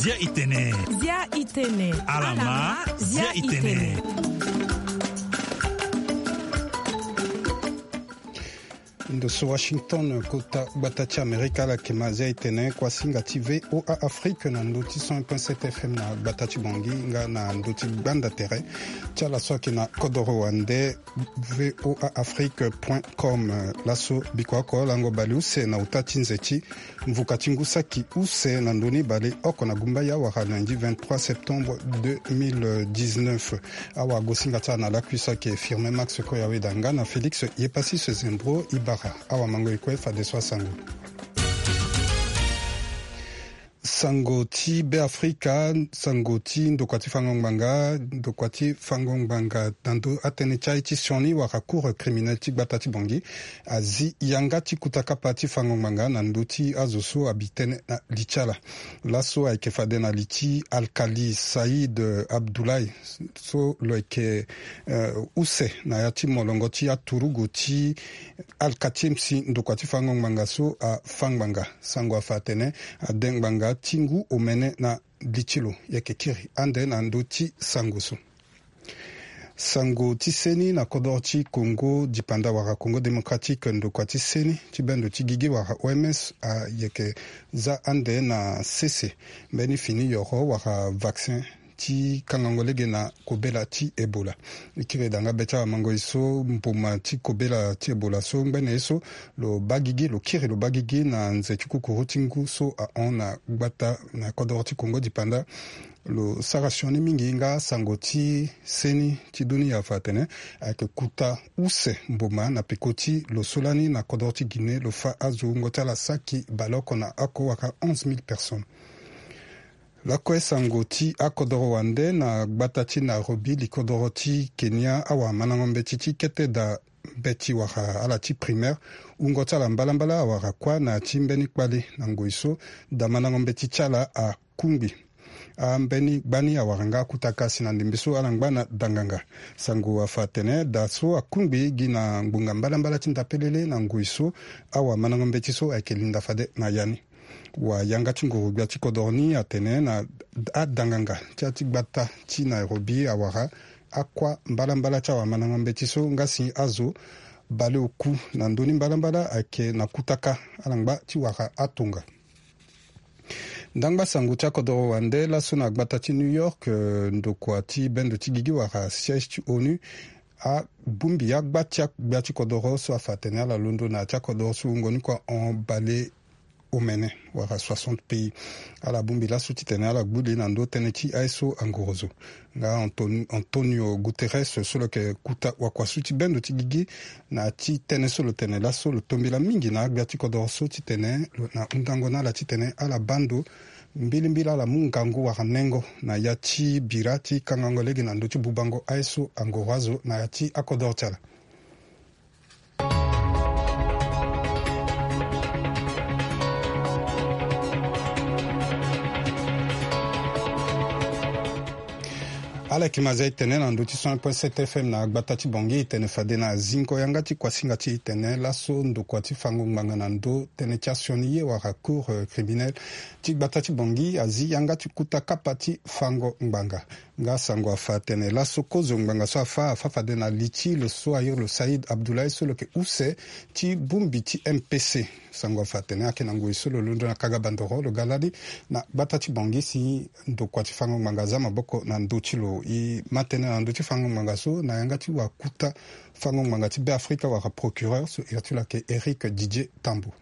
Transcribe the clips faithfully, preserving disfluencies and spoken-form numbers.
Zia itene. Zia itene. Alama, zia itene. Ndo so Washington, kota gbata ti Amerika, ala yeke ma zia itene kuasinga ti V O A Afrique na ndo ti cent un point sept F M na gbata ti Bangui nga na ndo ti gbanda tere ti ala so ayeke na kodoro wande, V O A Afrique point com. Laso biko oko lango bale use na uta ti nze ti mvuka ti ngu saki use na ndoni bale oko na gumbaya wala lundi vingt-trois septembre deux mille dix-neuf. Awagosinga ti ala na lakui so ayeke Firmin Max Koyaweda nga na Félix Yepasis Zembro Ibara. Awamango e kue fadeso asango. Sango ti Beafrika, sango ti ndokua ti fango ngbanga, ndokua ti fango ngbanga na ndo atënë ti aye ti sioni wala Cour criminelle ti gbata ti Bangui azi yanga ti kuta kapa ti fango ngbanga na ndö ti azo so abi tënë na li ti ala. Laso ayeke fade na li ti Alkali Saïd Abdoulaye so lo yeke, eh, use na ya ti molongo ti aturugu ti Alkati M C, ndokua ti fango ngbanga so afa ngbanga. Sango afa atene ade ngbanga ti ngu omene na li ti lo. Yeke kiri ande na ndö ti sango so. Sango ti seni na kodoro ti Congo dipanda wala Congo Démocratique, ndokua ti seni ti bendo ti gigi wala O M S ayeke za ande na sese mbeni fini yoro wala vaccin ti kangango lege na kobela ti Ebola. E kiri daa nga be ti awamango e so mboma ti kobela ti Ebola so ngbene ye so lo baa gigi, lo kiri lo baa gigi na nze ti kukuru ti ngu so ahon na gbata na kodoro ti Congo dipanda. Lo sara sioni mingi nga sango ti seni ti dunia afa atene ayeke kuta use mboma na peko ti lo so lani na kodoro ti Guinée lo fa azo wungo ti ala saki baleoko na oko wala onze mille personnes. Lakue sango ti akodoro wande na gbata ti Nairobi, likodoro ti Kenya, awamandango mbeti ti kete daa mbeti wala ala ti primaire, wungo ti ala mbalambala awara kuâ na ya ti mbeni kpale na ngoi so daa mandango mbeti ti ala akungbi. Ambeni gbani awara nga akutaka si na ndembe so ala ngba na danganga. Sango afa atene daa so akungbi gi na ngbonga mbalambala ti ndapelele na ngoi so awamandango mbeti so ayeke linda fade na ya ni. Wayanga ti nguru-gbia ti kodoro ni atene na adanganga ti ya ti gbata ti Nairobi awara akuâ mbalambala ti awamandango mbeti so nga si azo baleoku na ndö ni mbalambala ayeke na kutaka ala ngba ti wara atonga. Ndangba sango ti akodoro wande laso na gbata ti New York, eh, ndokua ti bendo ti gigi wala siège ti onu abongbi agba ti agbia ti kodoro so afa atene ala londo na ya ti akodoro so wungo ni kua hon bale omene wala soixante pays. Ala bongbi laso titene ala gbu li na ndö tënë ti aye so angorozo. Nga Anton-, Antonio Guterres so lo yeke kuta wakuasu ti bendo ti gigi na ya ti tënë so lo tene laso lo tombela mingi na agbia ti kodoro so titene lo na hundango na ala titene ala baa ndo mbilimbili ala mu ngangu wala nengo na ya ti bira ti kangango lege na ndö ti bubango aye so angoro azo na ya ti akodoro ti ala. Ala yeke ma zia e tene na ndö ti cent un point sept F M na gbata ti Bangui, e tene fade na zingo yanga ti kuasinga ti e tene laso ndokua ti fango ngbanga na ndö tënë ti asioni ye wala Cour, euh, criminelle ti gbata ti Bangui azi yanga ti kuta kapa ti fango ngbanga. Nga sango afa atene laso kozo ngbanga so afa, afa fade na li ti lo so a iri lo Saïd Abdoulaye so lo yeke use ti bongbi ti M P C. Sango afa atene ayeke na ngoi so lo londo na kaga bandoro lo ga lani na gbata ti Bangui si ndokua ti fango ngbanga aza maboko na ndö ti lo. E ma tënë na ndö ti fango ngbanga so na yanga ti wakuta fango ngbanga ti Beafrika wala procureur so iri ti lo ayeke Éric Didier Tambo.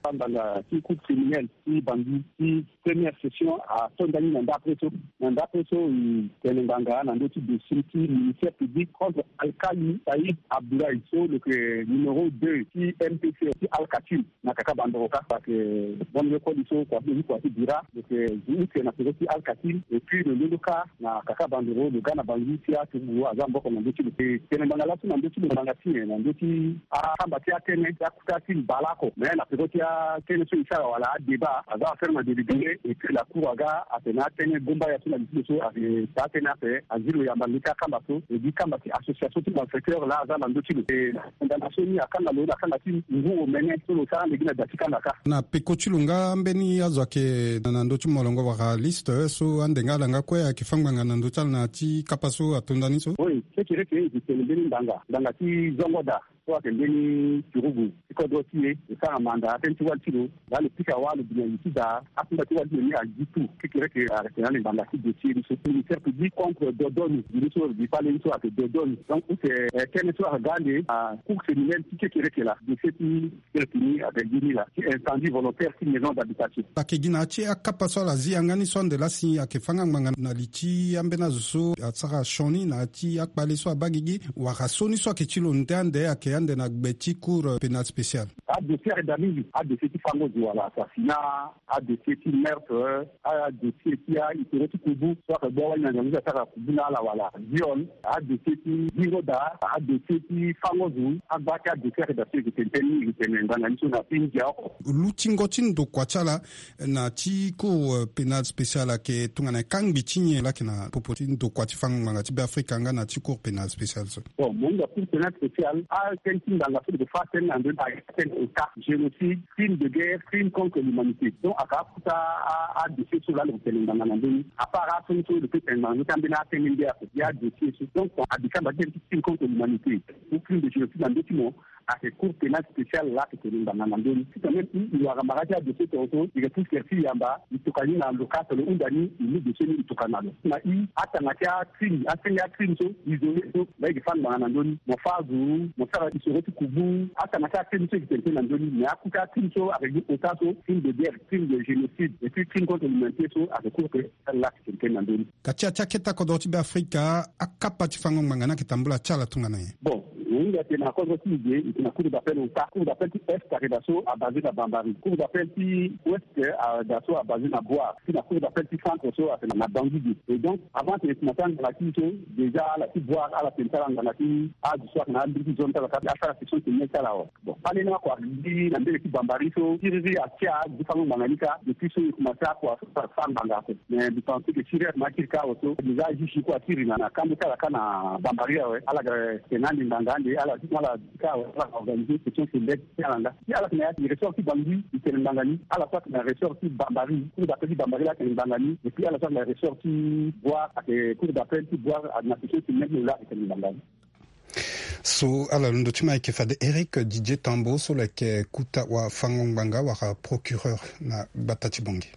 Ngbanga ti Cour criminelle ti Bangui ti première session ato ndani na ndapre so. Na ndapre so, e tene ngbanga na ndö ti dossier ti ministère public contre Alkali Saïd Abdoulaye so lo yeke numéro deux ti M P C ti Alkatine na kaka bandoro kâ. Parce que bon, le koli so kua ti, kua ti bira lo yeke zo ute na peko ti Alkatine, et puis lo londo kâ na kaka bandoro lo ga na Bangui ti aturugu aza maboko na ndö ti lo. E tene ngbanga laso na ndö ti lo ngbanga ti nyen? Na ndö ti akamba ti atënë ti akuta ti mbala oko, mais na peko ti atene so e sara wala adébat aza affaire na délibéré. Et puis la cour aga atene atene gomba ya so na lisilo so ake taa tënë ape azi lo yamba nge ti akamba so e gi kamba ti association ti malfaiteur laa aza na ndö ti lo. E na ndanga so ni akanga lo na kanga ti ngu omene so lo sara ande gi na da ti kanga kâ. Na peko ti lo nga mbeni azo ayeke na ndö ti molongo wala liste so ande nga ala nga kue ayeke fâ ngbanga na ndö ti ala na ya ti kapa so atonda ni so? Oui, kekereke e tene mbeni ngbanga ngbanga ti zongo daa so ayeke mbeni turugu ti kodro ti e e sara manda tënë ti wali ti lo. Laa lo pika wâ lo bi na li ti daa akunda ti wali ti lo ni agi tout kekereke ayeke na ande ngbanga ti dossier ni so ministère public contre dodonu. Gi ni so gi kpale ni so ayeke dodonu. Donc ute tënë so ayeke ga ande na cour criminelle ti kekereke laa dossier ti Kiri ti ni ayeke gi ni laa ti incendie volontaire ti maison d'habitation. Ayeke gi na ya ti akapa so ala zi yanga ni so ande laa si ayeke fâ nga ngbanga na li ti ambeni azo so asara sioni na ya ti akpale so abaa gigi wala so ni so ayeke ti lo nde ande ayeke ande na gbe ti cour pénale spéciale? Adossier ayeke daa mingi. Adossier ti fango zo wala assassinat, adossier ti meurtre, adossier ti ahistoire ti kubu so ayeke gbu awali na nzangu so asara kubu na ala wala viol, adossier ti zingo daa, adossier ti fango zo. Agba ti adossier ayeke daa so e yeke tene tënë ni e yeke tene ngbanga ni so na ti ndia oko. Lutingo ti ndokua ti ala na ti cour pénale spéciale ayeke tongana kangbi ti nyen laa ayeke na popo ti ndokua ti fango ngbanga ti Beafrika nga na ti cour pénale spéciale so? Bon, mo hinga cour pénale spéciale atënë ti ngbanga so lo yeke fâ tënë na ndö ni ayeke tënë ota, génocide, crime de guerre, crime contre l'humanité. Donc ayeke akota adossier so laa lo yeke tene ngbanga na ndö ni. Apart aso ni so lo peut tene ngbanga ndö ti ambeni atënë nde ape gi adossier so. Donc ayeke kamba ti tënë ti crime contre l'humanité ou crime de génocide na ndö ti mo, ayeke cour pénale spéciale laa ayeke tene ngbanga na ndö ni. Ti quand même i wara mara ti adossier tongaso i yeke pusu tere ti yamba i tokua ni na lo kâ so lo hunda ni i mu dossier ni i tokua na lo. Na i atanga ti acrime asenge acrime so isolé so laa i yeke fâ ngbanga na ndö ni. Mo fâ azo, mo sara isoro ti kubu, atanga ti acrime so i yeke tene tënë na ndö ni. Mais akota acrime so ayeke gi ota so crime de guerre, crime de génocide et puis crime contre l'humanité so ayeke cour pénale laa ayeke tene tënë na ndö ni. Ka ti ya ti akete kodro ti Beafrika akapa ti fango ngbanga ni ayeke tambula ti ala tongana nyen? Bon, mo hinga tene na kodro ti e ge e tene na cour d'appel ota. Cour d'appel ti est ayeke daa so abasé na Bambari. Cour d'appel ti ouest ayeke daa so abasé na Bouar. Ti na cour d'appel ti centre so ayeke na Bangui ge. Et donc avant tene e tene na ti anganga ti e so déjà ala ti Bouar ala tene ti ala nganga ti azo so ayeke na alingbi ti zone ti ala kâ asara section criminelle ti ala awe. Bon kpale ni oko agbi na mbege ti Bambari so siriri atia gi fango ngbanga ni kâ. Depuis so e komanse akua so fâ ngbanga ape. Mais mbi pense que siriri ayeke ma akiri kâ awe so déjà ajuge kue akiri na na kambe ti ala kâ na Bambari awe. Ala yeke tene ande ngbanga ande ala ti ala ti kâ awe ala yeke organiser section criminelle ti ala nga. Si ala yeke na ya ti ressort ti Bangui e tene ngbanga ni. Ala so ayeke na ressort ti Bambari cour d'appel ti Bambari laa atene ngbanga ni. Et puis ala so ayeke na ressort ti Bouar ayeke cour d'appel ti Bouar na section criminelle ti lo laa ayeke tene ngbanga ni. So ala londo ti ma ayeke fade Eric Didier Tambo so lo yeke kuta wafango-ngbanga wala procureur na gbata ti Bangui.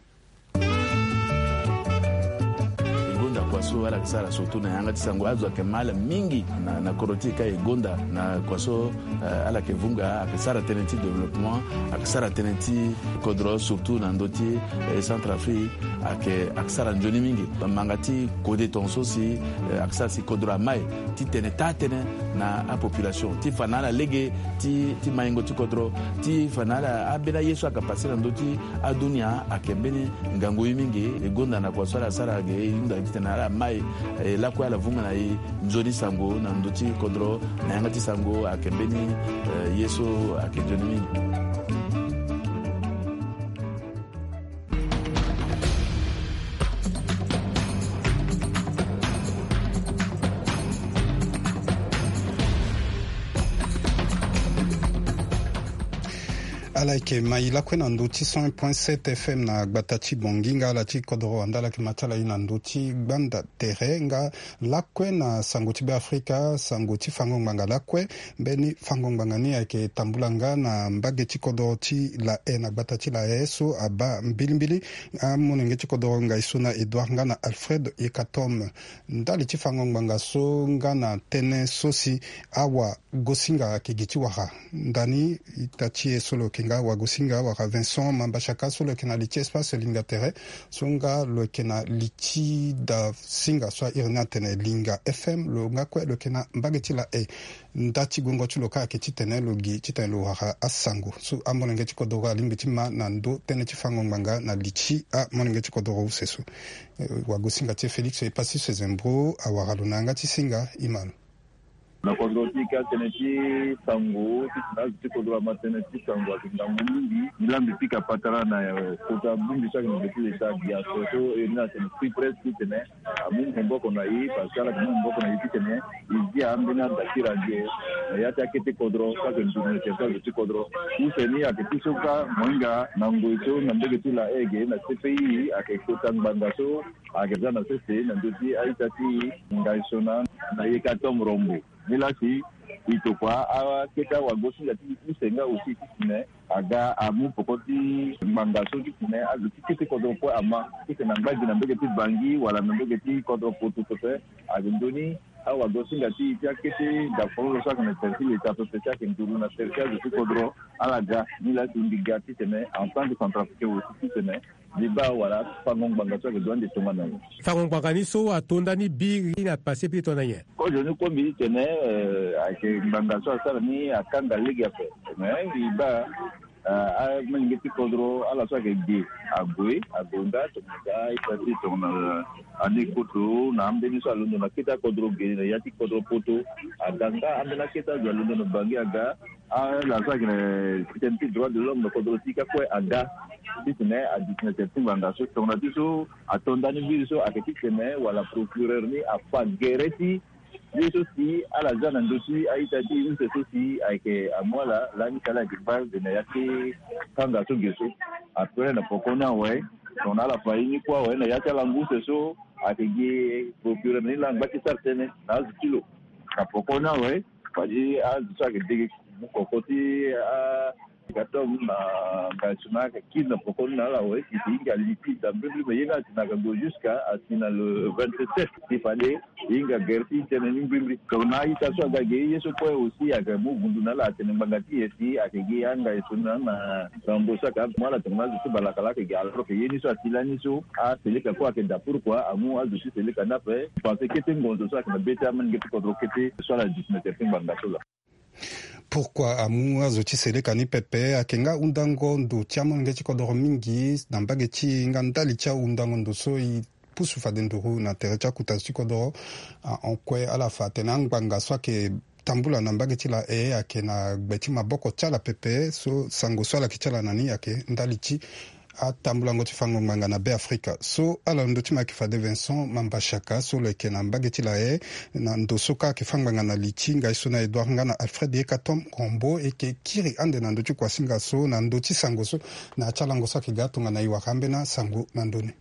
E gonda kua so ala yeke sara surtout na yanga ti sango azo ayeke ma ala mingi na, na kodro ti e kâ e gonda na kua so, eh, ala yeke vunga ayeke sara tënë ti développement, ayeke sara tënë ti kodro surtout na ndö ti, eh, Centrafrique. Ayeke, ayeke sara nzoni mingi. Bamanga ti kode tongaso si, eh, ayeke sara si kodro amai ti tene taa tënë na apopulation ti fa na ala lege ti, ti maingo ti kodro, ti fa na ala ambeni aye so ayeke pase na ndö ti adunia ayeke mbeni ngangu ye mingi. E gonda na kua so ala sara ge e hunda titene ala mai, eh, lakue ala vunga na e nzoni sango na ndö ti kodro na yanga ti sango ayeke mbeni, eh, ye so ayeke nzoni mingi. Ala yeke ma e lakue na ndö ti cent point sept F M na gbata ti Bangui nga ala ti kodoro wande ala yeke ma ti ala e na ndö ti gbanda tere nga lakue na sango ti Beafrika, sango ti fango ngbanga lakue. Mbeni fango ngbanga ni ayeke tambula nga na mbage ti kodoro ti La Haye na gbata ti La Haye so abaa mbilimbili amolenge ti kodoro ngai so na Edouard nga na Alfred Yekatom. Ndali ti fango ngbanga so nga na tënë so si awagosinga ayeke gi ti wara. Ndani ita ti e so lo yeke nga awagosinga wara Vincent Mambashaka so lo yeke na li ti espace Linga Tere so nga lo yeke na li ti da singa so airi ni atene Linga F M lo nga kue lo yeke na mbage ti La Haye. Nda ti guengo ti lo kâ ayeke titene lo gi titene lo wara asango so amolenge ti kodoro alingbi ti ma na ndö tënë ti fango ngbanga na li ti amolenge ti kodoro use so. Eh, wagosinga ti e Félix Epassi Sezembro awara lo na yanga ti singa e ma lo. Na kodro ti ka tënë ti sango ti tene azo ti kodro ama tënë ti sango ayeke ngangu mingi. Ni la mbi pika patara na kota bongbi so ayeke na be ti leta biaso so e ni atene free press ti tene amu maboko na e parce que ala yeke mu maboko na e ti tene e zi ambeni adakiri adio na ya ti akete kodro so ayeke nduru na tere ti azo ti kodro. Use ni ayeke ti so ka mo hinga na ngoi so na mbege ti la ege na cpi ayeke kota ngbanga so ayeke za na sese na ndö ti a-ita ti ngai so na na yeka tom rombo. Ni la si e tokua akete awagosinga ti use nga aussi ti tene aga amu poko ti ngbanga so ti tene azo ti kete kodro kue ama ti tene angba gi na mbege ti bangi wala na mbege ti kodro poto pepe. Ayeke ndoni awagosinga ti e ti akete dafololo so ayeke na tere ti leta pepe ti ayeke nduru na tere ti azo ti kodro ala ga. Ni la si mbi ga ti tene en tant que centrafricain aussi ti tene mbi baa wala fango ngbanga so ayeke dua nde tongana nyen. Fango ngbanga ni so ato ndani biri na pase pe tongana nyen? Kozo ni kue mbi ti tene ayeke ngbanga so asara ni akanga lege ape. Me mbi baa amolenge ti kodro ala so ayeke ge ague agonda tongana ga ita ti tongana ani koto na ambeni so alondo na kete akodro ge na ya ti kodro poto. Aga nga ambeni akete azo alondo na bangi aga ala so ayeke na titene ti droit de l'homme na kodro ti ka kue aga ti tene adisi na tere ti ngbanga so tongana ti so ato ndani mbiri so ayeke ti tene wala procureur ni afa gere ti ye so si ala za na ndö ti a-ita ti use so si ayeke amu ala lani si ala yeke kpale na ya ti kanga so ge so. Après na poko ni awe tongana ala fa ye ni kue awe na ya ti ala ngu use so ayeke gi procureur ni laa angba ti sara tënë na azo ti lo. Na poko ni awe fade azo so ayeke dege mu koko ti a Katom na ngai so na ayeke kiri na poko ni na ala awe si si hinga li ti da mbrimbri me ye nga asi na aga gue jusqu'à asi na le vingt-sept si fade e hinga gere ti tënë ni mbrimbri. Tongana a-ita so aga ge ye so kue aussi ayeke mu gundu na ala atene ngbanga ti e si ayeke gi angai so na na rambo so ayeke amu ala tongana azo ti balaka laa ayeke gi alors que ye ni so asi lani so aseleka kue ayeke da pourquoi amu azo ti seleka ni ape. Pense kete ngonzo so ayeke na be ti amolenge ti kodro kete so ala duti na tere ti ngbanga so laa. Pourquoi amu azo ti seleka ni pepe? Ayeke nga ahundango ndo ti amolenge ti kodoro mingi na mbage ti e nga ndali ti ahundango ndo so e pusu fade nduru na tere ti akuta zo ti kodoro. Ahon kue ala fa atene angbanga so ayeke tambula na mbage ti la e ayeke na gbe ti maboko ti ala pepe so sango so ala yeke ti ala na ni ayeke ndali ti atambulango ti fango ngbanga na Be Afrika. So ala ndo ti ma ayeke fade Vincent Mambashaka so lo yeke na mbage ti la e na ndo so ka ayeke fa ngbanga na li ti ngai so na Edouard nga na Alfred Yekatom Rombo e yeke kiri ande na ndö ti kuasinga so na ndö ti sango so na ya ti alango so ayeke ga tongana e wara ambeni asango na ndö ni.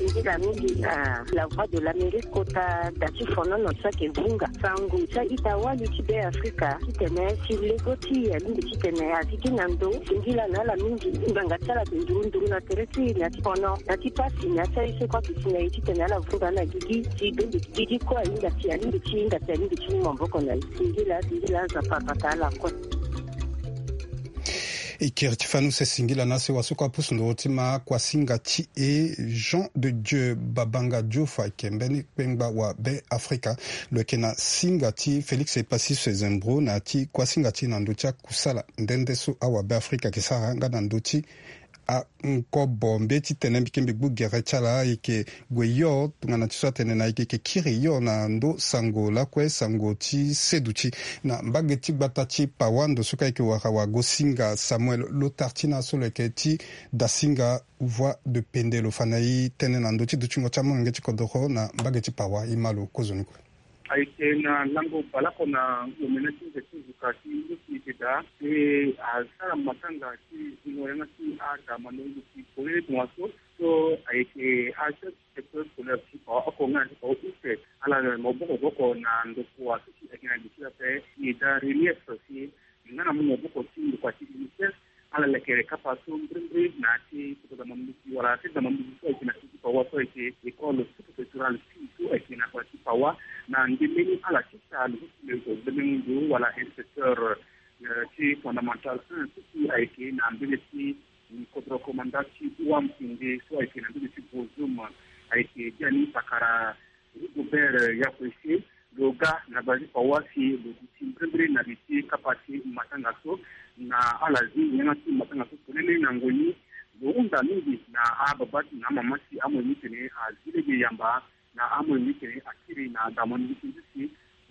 Nzila mingi na La Voix de l'Amérique kota da ti fonono so ayeke vunga sango ti a-ita wali ti Be Afrika titene si lego ti e alingbi titene azi gi na ndo singila na ala mingi ngbanga ti ala ayeke nduru nduru na tere ti e na ya ti fono na ya ti pasi na ya ti aye so kue ayeke si na e titene ala vunga na gigi si bembe gigi kue ahinga si alingbi ti hinga si alingbi ti mu maboko na e. Singila singila Nzapa abata ala kue. E kiri ti fani use singila na sewa so kue apusu nduru ti ma kuasinga ti e Jean de Dieu Babanga Diouf ayeke mbeni kpengba wa Be Afrika. Lo yeke na singa ti Félix Epassis Zembro na ya ti kuasinga ti e na ndö ti akusala nde nde so awa Be Afrika ayeke sara nga na ndö ti ankobo mbi ye ti tene mbi ke mbi gbu gere ti ala ayeke gue yo tongana ti so atene na e yeke kiri yo na ndo sango lakue sango ti seduti na mbage ti gbata ti Pawa ndo so ka e yeke wara wagosinga Samuel Lotartina so lo yeke ti dasinga Voix de Pende. Lo fa na e tënë na ndö ti dutingo ti amolenge ti kodoro na mbage ti Pawa. E ma lo kozoni kue. Ayeke na lango baleoko na omene ti nze ti nzuka ti nduti eke daa pe asara matanga ti zingo yanga ti ada mandoni nduti polele tongaso so ayeke a chef du secteur scolaire ti Pawa oko nga na ti Pawa use ala na maboko boko na ndokua so si ayeke na li ti ape. E daa relief si nga na mu maboko ti ndokua ti UNICEF ala lekere kapa so mbrimbri na ya ti kota dama mbisi wala ya ti dama mbisi so ayeke na ti Pawa so ayeke école sous-préfectorale six so ayeke na kota ti Pawa na ndemeni ala ti sa lo so si lo yeke ndemengo ndo wala inspecteur ti fondamental un so si ayeke na mbele ti kodro komanda ti Wamsinde so ayeke na mbele ti Bozum ayeke biani pakara Rigobert Yakwese lo ga na bale ti Pawa si lo duti mbrimbri na li ti kapa ti matanga so na ala zi yanga ti matanga so polele na ngoi ni. Lo hunda mingi na ababa ti na amama si amoyo ni tene azi lege yamba na amoyo ni tene akiri na dama ni ti nzi si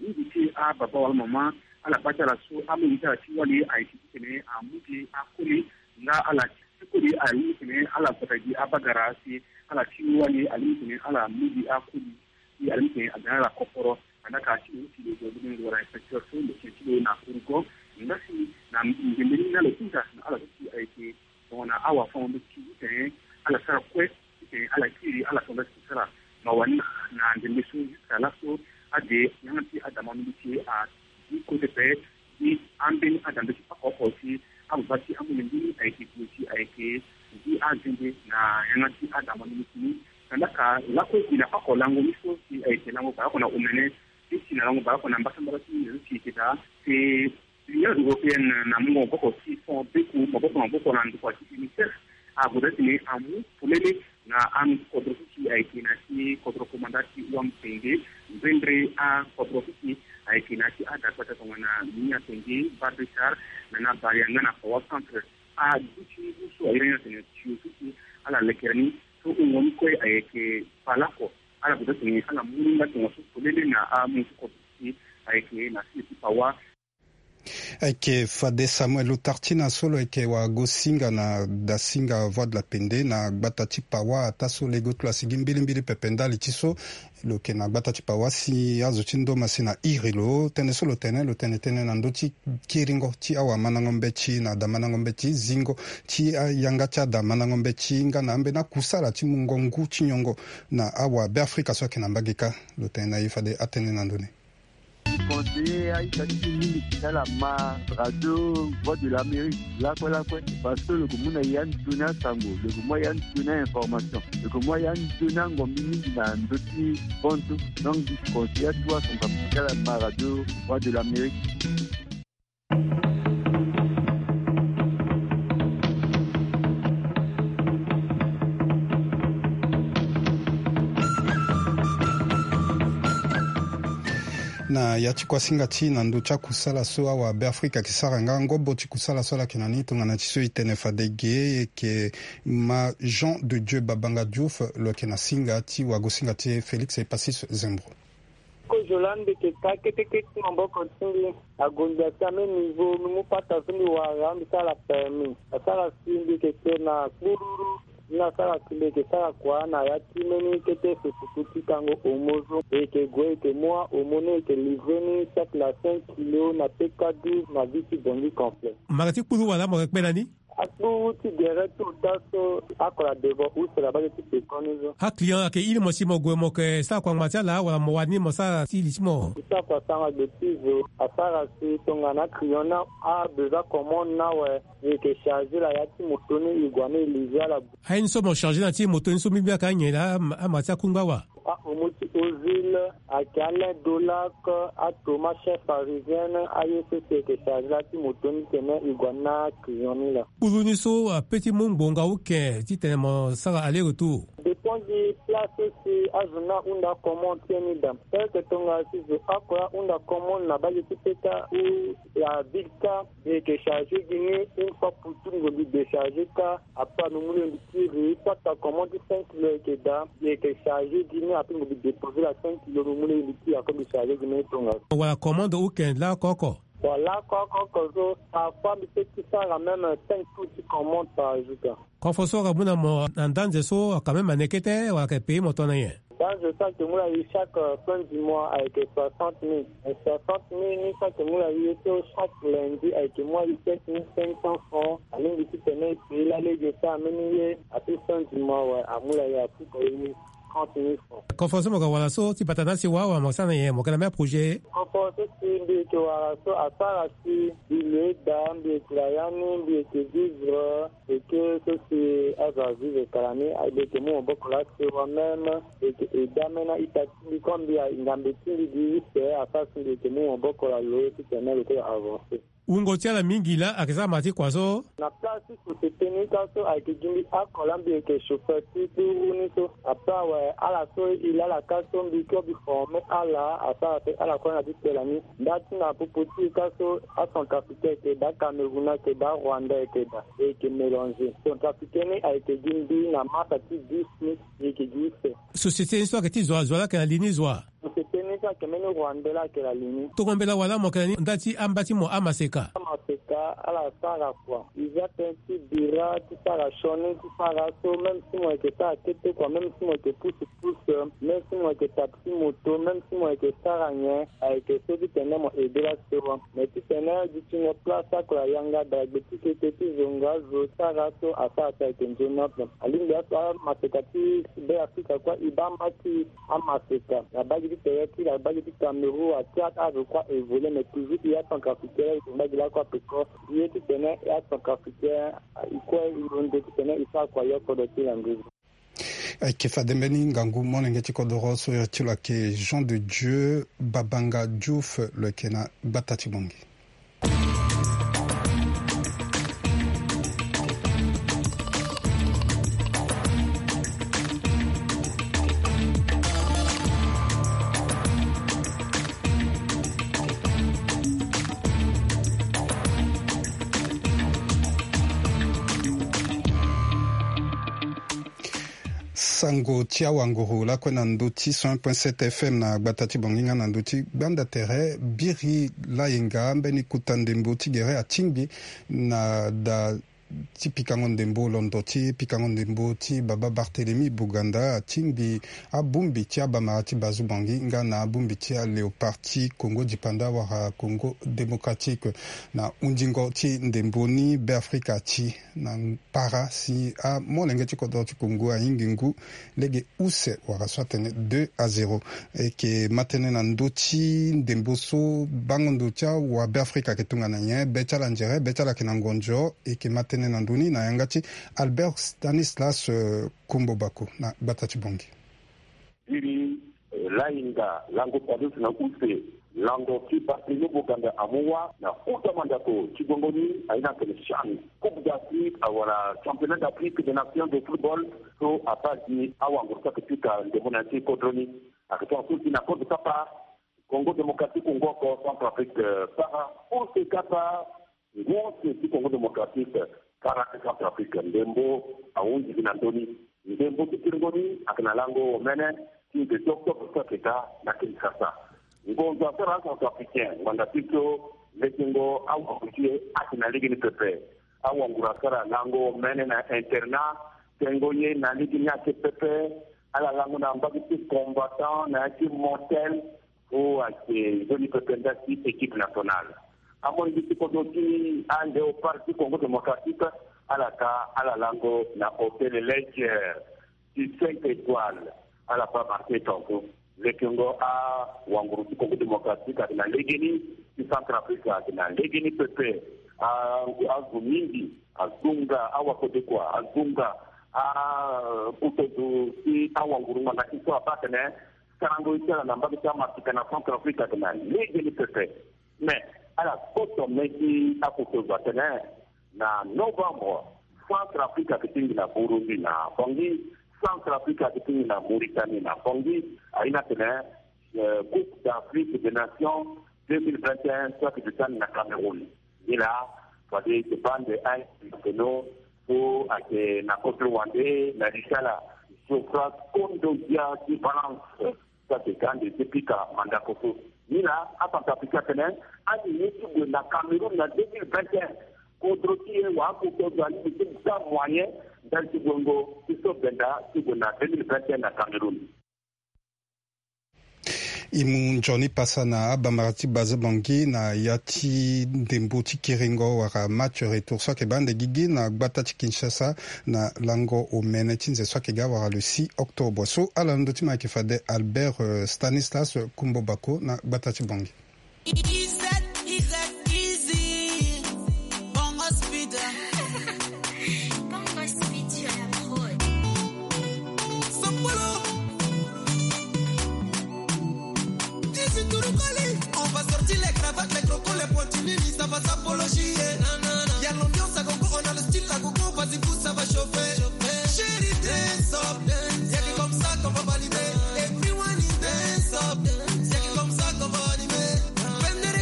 Mingi ti ababa wala mama ala baa ti ala so amu gi ti ala ti wali ayeke titene amu gi akoli nga ala ti koli aye titene ala gbata gi abagara si ala ti wali alingbi titene ala mu gi akoli si alingbi titene aga na ala kokoro. Andaka ti lo ti lo zo lo wara inspecteur so lo tene ti lo na Ourgon. Nga si na ndembe ni na lo hunda na ala so si ayeke tongana awafango-nde ti titene ala sara kue titene ala kiri ala tonda ti sara mawa ni na ndembe so jusqu'à laso ade yanga ti adama ni ti a di kote pe. Gi ambeni adambe ti pako oko si ababa ti amolenge ni ayeke gue si ayeke gi azende na yanga ti adama ni ti ni. Tandaka lakue gi na pako lango ni so si ayeke lango baleoko na omene ti si na lango baleoko na mbasambala ti ni so si ayeke daa si Union européenne na mungo maboko ti fond beku maboko na maboko na ndokua ti UNICEF ague daa titene amu polele na akodro so si ayeke na ya ti kodro komanda ti wamtenge. Mbendre akodro so si ayeke na ya ti adagbata tongana Miami-Atenge, Barbesar, na na Baleine nga na Paoa Centre. Aduti ngu so aye ni atene tio so si ala lekere ni so wungo ni kue ayeke palaoko. Ala gue daa titene ala mu ni nga tongaso polele na amu so kodro so si ayeke na sini ti Paoa. Ayeke fade Samuel Lutartina so lo yeke wagosinga na dasinga Voix de la Pende na gbata ti Paoa ataa so lege oti lo asi gi mbilimbili pepe ndali ti so lo yeke na gbata ti Paoa si azo ti ndoma si na iri lo. Tënë so lo tene lo tene tënë na ndö ti kiringo ti awamandango mbeti na adamandango mbeti zingo ti ayanga ti adamandango mbeti nga na ambeni akusala ti mungo ngu ti nyongo na awabeafrika so ayeke na mbage kâ. Lo tene na e fade atënë na ndö ni. Conseiller aita ti mingi ti ala ma radio Voix de l'Amérique lakue lakue parce que lo ko mu na ya nzoni asango, lo ko mu ya nzoni ainformation, lo ko mu ya nzoni angombi mingi na ndö ti bonso. Donc di conseiller atu ason ka ti ala ma radio Voix de l'Amérique. Na ya ti kuasinga ti na ndö ti akusala so awabeafrika ayeke sara nga ngobo ti kusala so ala yeke na ni tongana ti so e tene fade ge e yeke ma Jean de Dieu Babanga Diouf lo yeke na singa ti wagosinga ti e Félix Epasis Zembro. Kozo laa mbi yeke ka kete kete maboko ti mbi agonda ti ambeni niveau mbi mu pata so mbi wara mbi sara permis asara si mbi yeke kpe na kpururu. Ni asara si mbi yeke sara kua na ya ti mbeni kete sosoku ti kango homo so e yeke gue e yeke mu ahomo ni e yeke livrer ni sac na cinq kilo na P K douze na ville ti Bangui complet. Mara ti kpuru wala mo yeke kpe na ni? Akpuru ti gere ti ota so ako na devant use na bage ti pekoni so. Aclient ayeke iri mo si mo gue mo yeke sara kua ngba ti ala wala mo wani mo sara ti li ti mo? Mo sara kua sara na gbe ti zo asara si tongana aclient ni abesoin commande ni awe e yeke charger na ya ti moto ni e gue ni e livrer ala. Aye ni so mo charger na ya ti moto ni so mbi mbi ayeke anyen laa ama ti akungba wa. Ahomo ti Ozil ayeke Alain Dolac, atoma chef parisien, aye so si e yeke charger la ti moto ni tene e gue na client ni laa. Kpuru ni so ape ti mu ngbonga uke titene mo sara aller retour? Dépend gi place so si azo ni ahunda commande ti e ni daa. Eke tongana si zo oko ahunda commande na bage ti peka ou la ville ka, mbi yeke charger gi ni une fois pour tout, mbi décharger ka. Après mbi mu lo mbi kiri pata commande ti cinq kilo ayeke daa, mbi yeke charger gi ni. Après mbi déposer la cinq kilo, mbi mu lo mbi kiri, après mbi charger gi ni tongaso. Wala commande uke lakoko? Wala lakoko so parfois mbi peut ti sara même cinq tours ti commande par jour ka. Kofo so aka mu na mo na ndanze so aka même ane kete wala aka payer mo tongana nyen? Ndanze so ayeke mu na e chaque fin du mois ayeke soixante mille. Soixante mille ni so ayeke mu na e so chaque lundi ayeke mu na e sept mille cinq cents francs. Alingbi titene e payer lalege so ambeni ye. Ape fin du mois awe amu na e apuka e trente mille francs. Kofo so mo yeke wara so ti bata na asi wa wa mo sara na nyen, mo yeke na même projet? Kofo so si mbi yeke wara so asara si mbi lo eda, mbi yeke na ya ni, mbi yeke vivre. Eke so si azo avivre kala ni, mbi yeke mu maboko laa sewa même, mbi yeke aide même na ita ti mbi comme mbi a ngambe ti mbi gi use, asara si mbi yeke mu maboko na lo titene lo kue lo avancer. Wungo ti ala mingi laa ayeke sara ma ti kua so? Na place ti société ni ka so ayeke gi mbi oko laa mbi yeke chauffeur ti kpuru ni so. Après awe ala so e laa ala ka so mbi kue mbi former ala, asara si ala kue na ti tela ni. Nda ti na popo ti e ka so acentrafricain ayeke daa, Cameroun ayeke daa, Rwanda ayeke daa, e yeke mélanger. Centrafricain ni ayeke gi mbi na masa ti dix ni, e yeke gi use. Société ni so ayeke ti zo wa, zo wa laa ayeke na li ni zo wa? Mo se teni so ayeke mbeni Rwandais la ayeke na li ni. Tongo mbela wala mo yeke na ni nda ti amba ti mo amaseka. Amaseka ala sara kua. Iza tënë ti bira ti sara sioni ti sara so même si mo yeke sara kete kua, même si mo yeke pusu pusu, même si mo yeke tapi ti moto, même si mo yeke sara nyen, ayeke so titene mo aidé laso. Mais titene dutingo place oko na yanga dagbe ti kete ti zonga zo sara so asara so ayeke nzoni ape. Alingbi aso amaseka ti Be Afrika kue e baa mba ti amaseka na bagi ti tere ti na bagi ti Cameroun, a Tchad, azo kue a évolué, mais toujours e acentrafricain e yeke mbagi lakue ape ko. Ye titene e acentrafricain e kue e londo titene e sara kua yo kodro ti landuzu. Ayeke fade mbeni ngangu molenge ti kodoro so iri ti lo ayeke Jean de Dieu Babanga Diouf, lo yeke na gbata ti Bangui. Sango ti awanguru lakue na ndö ti cent point sept F M na gbata ti Bangui nga na ndö ti gbanda tere. Biri Layenga, mbeni kota ndembo ti gere atingbi na da ti pikango ndembo, londo ti pikango ndembo ti baba Barthélemy Boganda, atingbi abongbi ti abamara ti Bazobangi nga na abongbi ti aLéopard ti Congo Dipanda wala Congo Démocratique. Na hundingo ti ndembo ni, Beafrika ti na para si amolenge ti kodro ti Congo ahingi ngu lege use wala so atene deux à zéro. E yeke ma tënë na ndö ti ndembo so bango ndo ti awabeafrika ayeke tongana nyen, be ti ala nzere, be ti ala ayeke na ngonzo. E yeke ma tënë na ndö ni na yanga ti Albert Stanislas, eh, Kombo Bako na gbata ti Bangui. Biri, eh, Layenga, lango padus na use, lango ti Barthélemy Boganda amu wâ na kota mandako ti gongo ni, aye ni atene CHAN, Coupe d'Afrique, awala Championnat d'Afrique des Nations de football, so abaa gi awanguru so ayeke pika ndembo na ya ti kodro ni. Ayeke tongana so si na kodro kapa, Congo Démocratique, Congo oko, Centrafrique, eh, para, use kapa, ngu use ti Congo Démocratique, para ti Centrafrique, ndembo ahunzi gi na ndö ni. Ndembo ti kiringo ni ayeke na lango omene ti nze ti octobre so ayeke ga na Kinshasa. Ngonzo asara aCentrafricain, ngbanga ti so lekengo awanguru ti e ayeke na lege ni pepe. Awanguru asara lango omene na internat, tengo ye na lege ni ayeke pepe. Ala lango na mbage ti combattant na ya ti motel, so ayeke nzoni pepe nda ti équipe nationale. Amolenge ti kodro ti aLéopard ti Congo Démocratique, ala ka ala lango na hôtel Leger ti cinq étoiles, ala baa marqué tongaso. Lekengo awanguru ti Congo Démocratique ayeke na legeni, ti Centrafrique ayeke na legeni pepe. A, azo mingi azonga awakodekua, azonga a, kutozo ti awanguru ngbanga ti so abaa atene sarango ye ti ala na mbage ti amasika na Centrafrique ayeke na legeni pepe. Mais ala koto me ti akutozo atene na novembre, Centrafrique ayeke tingbi na Burundi na Bangui, Centrafrique ayeke tingbi na Mauritanie na Bangui. Aye ni atene, eh, Coupe d'Afrique des Nations deux mille vingt et un so ayeke duti ande na Cameroun. Nilaa fade e bande aye na peno so ayeke na kodro wande na li ti ala, Geoffroy Kondogbia ti Valence. So ayeke ga ande ti pika mandako so. Nilaa aCentrafricain atene ande ye ti gue na Cameroun na deux mille vingt et un, kodro ti e wala akodro alingbi ti ga moyen ndali ti gue ngo ti so benda ti gue na deux mille vingt et un na Cameroun. E mu nzoni pasa na abamara ti Bazobangi na ya ti ndembo ti kiringo wala match retour so ayeke baa ande gigi na gbata ti Kinshasa na lango omene ti nze so ayeke ga wala le six octobre. So ala na ndö ti mo ayeke fade Albert, euh, Stanislas Kumbo Bako na gbata ti Bangui. Bongo Speed sur la prod. Sopolo. Dix Turukoli. On va sortir les cravates, les crocos, les pointilles, ça va s'apologier. Na, na, na. Y a l'ambiance à gogo, on a le style à gogo, vas-y, vous, ça va chauffer. Chérie, dance up. Y a que comme ça qu'on va valider. Everyone is dance up. Y a que comme ça qu'on va animer. Venez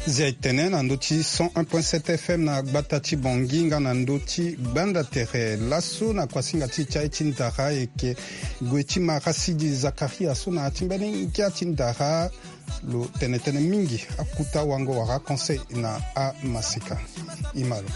Zia etene na ndö ti cent un point sept F M na gbata ti Bangui nga na ndö ti gbanda tere. Laso na kuasinga ti e ti aye ti ndara ayeke gue ti Marasidi Zakaria so na ya ti mbeni ngia ti ndara. Lo tene tënë mingi akuta wango wala conseil na amaseka. Ima lo.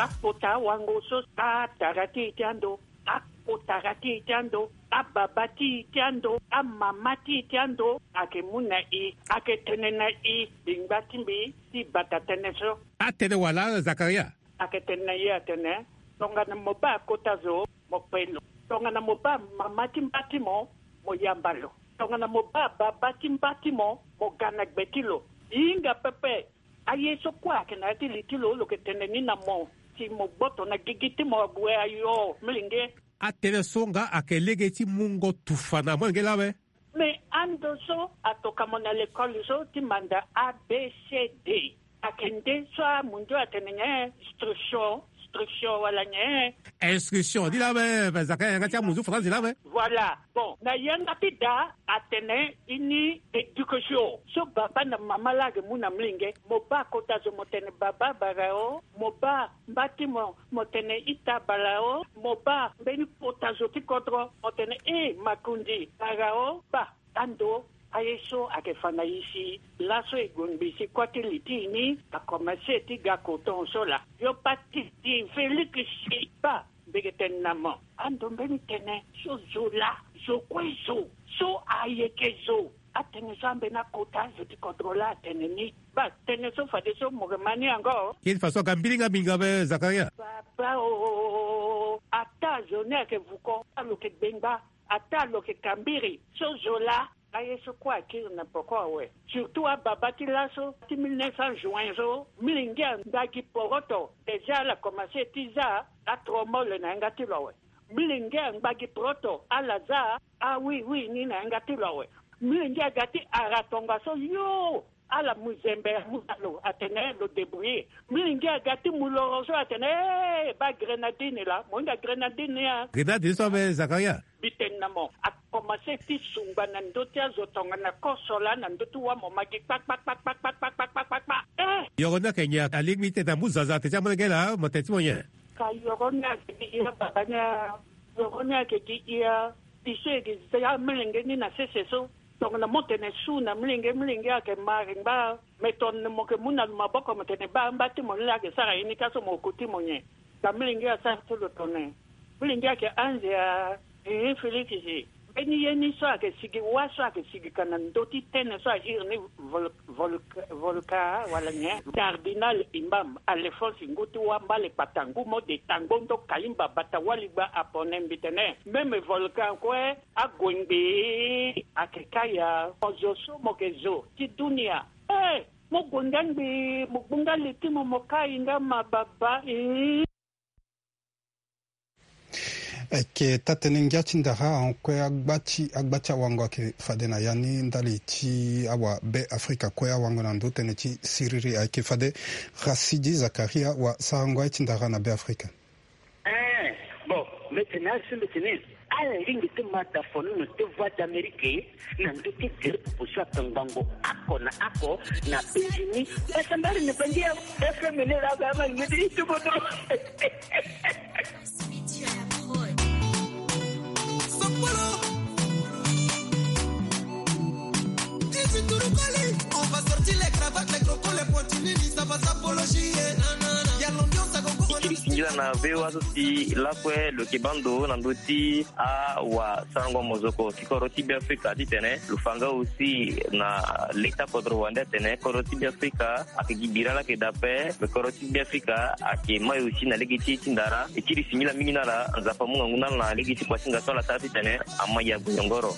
Akota wango so atara ti e ti ando, akotara ti e ti ando, ababa ti e ti ando, amama ti e ti ando, ayeke mu na e, ayeke tene na e, bingba ti mbi ti bata tënë so. Atene wala Zakaria? Ayeke tene na e atene, tongana mo baa kota zo, mo pe lo. Tongana mo baa mama ti mba ti mo, mo yamba lo. Tongana mo baa baba ti mba ti mo, mo ga na gbe ti lo. Hinga pepe. Aye so kue ayeke na ya ti li ti lo, lo yeke tene ni na mo, si mo gboto na gigi ti mo ague ayo, milenge. Atënë so nga ayeke lege ti mungo tufa na molenge laa awe. Me ando so atoka mo na lekole so ti manda A B C D. Ayeke nde so amundu atene nyen? Instruction, instruction wala nyen? Instruction ni laa awe, me zaka yanga ti amundu faranzi laa awe. Voilà. Bon, na yanga ti da atene ini éducation so baba na mama laa ayeke mu na milenge. Mo baa kota zo mo tene baba bara o, mo baa mba ti mo mo tene ita bara o, mo baa mbeni kota zo ti kodro mo tene e makundi bara o. Baa ando aye so ayeke fa na e si laso e gue ngbii si kua ti li ti e ni akomanse ti ga koton so laa. Yo pa ti di Félix si baa mbi yeke tene na mo ando mbeni tënë so zo laa, zo kue zo, so ayeke zo. Atënë so ambeni akota zo ti kodro laa atene ni. Baa tënë so fadeso mo yeke ma ni yango. Kiri faso aga mbilinga mingi awe Zakaria. Baba o, ata zo ni ayeke vuko, alo yeke gbengba, ata lo yeke kambiri so zo laa. Aye so kue akiri na poko awe. Surtout ababa ti laso ti mille neuf cents juin so, milenge angba gi poroto. Déjà ala komanse ti za atromole na yanga ti lo awe. Milenge angba gi poroto ala za awiwi ni na yanga ti lo awe. Milenge aga ti ara tongaso yo, ala mu zembe amu na lo atene lo débrouiller. Milenge aga ti mu loro so atene eh, baa grenadine laa, mo hinga grenadine ni a. Grenadine so awe Zakaria. Mbi tene na mo, akomanse ti sungba na ndö ti azo tongana koso laa na ndö ti wâ mo ma gi kpakpakpakpakpakpakpakpakpakpa. Eh. Yoro ni ayeke nyen? Alingbi ti tene amu zaza atene ti amolenge laa mo tene ti mo nyen? Ka yoro ni ayeke gi ya baba ni a. Yoro ni ayeke gi ya. Biso e gi za amolenge ni na sese so. Tongana mo tene su na milenge, milenge ayeke ma ringba. Me tongana mo yeke mu na lo maboko mo tene baa mba ti mo ni laa ayeke sara ye ni ka so mo ko ti mo nyen? Ka milenge asara ti lo tongana milenge ayeke anze a. Ee Félix si mbeni ye ni so ayeke sigi wâ so ayeke sigi ka na ndö ti tënë so a iri ni vol- volka wala nyen? Cardinal imam Alphonse ngu ti wâ mbale kpata ngu mo de tango ndo kalimba bata wali gba apone mbi tene même volcan kue ague ngbii. Ayeke kâ ya mo zo so mo yeke zo ti dunia. Eh, mo gue nga ngbii mo gbu nga li ti mo mo kai nga ma baba ii. Ayeke taa-tënë ngia ti ndara ahon kue agba ti agba ti awango ayeke fade na ya ni ndali ti awabe afrika kue awango na ndö tënë ti siriri ayeke fade. Rasidi Zakaria wa sarango aye ti ndara na be afrika. Eh, bon, mbi tene asi mbi tene ala lingbi ti ma dafono na te voix d'Amérique na ndö ti gere popo so atongbango ako na ako na bezi ni. Basa mbali na bangi ya F M ni la ga ma ngedi itubodo. Singila na V O A so si lakue lo yeke baa ndo na ndö ti awasarango mozoko ti kodro ti Beafrika titene lo fa nga aussi na leta kodro wande atene kodro ti Beafrika ayeke gi bira laa ayeke daa ape. Me kodro ti Beafrika ayeke mai aussi na lege ti e ti ndara. E kiri singila mingi na ala, Nzapa amu ngangu na ala na lege ti kuasinga so ala sara titene ama ya gue nyongoro.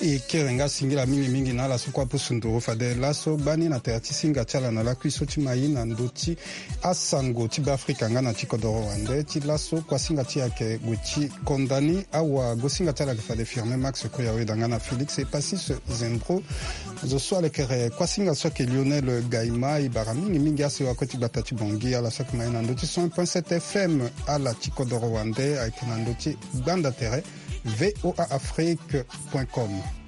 E kiri nga singila mingi mingi na ala so kue apusu nduru fade laso gbani na tere ti singa ti ala na lakui so ti mai na ndö ti asango ti Beafrika nga na ti kodoro wande ti laso kuasinga ti e ayeke gue ti konda ni. Awagosinga ti ala ayeke fade Firmin Max Koyawe da nga na Félix Epasis Zembro. Zo so alekere kuasinga so ayeke Lionel Gaima e bara mingi mingi asewa kue ti gbata ti Bangui. Ala so ayeke mai na ndö ti cent point sept F M ala ti kodoro wande ayeke na ndö ti gbanda tere. voa afrique point com.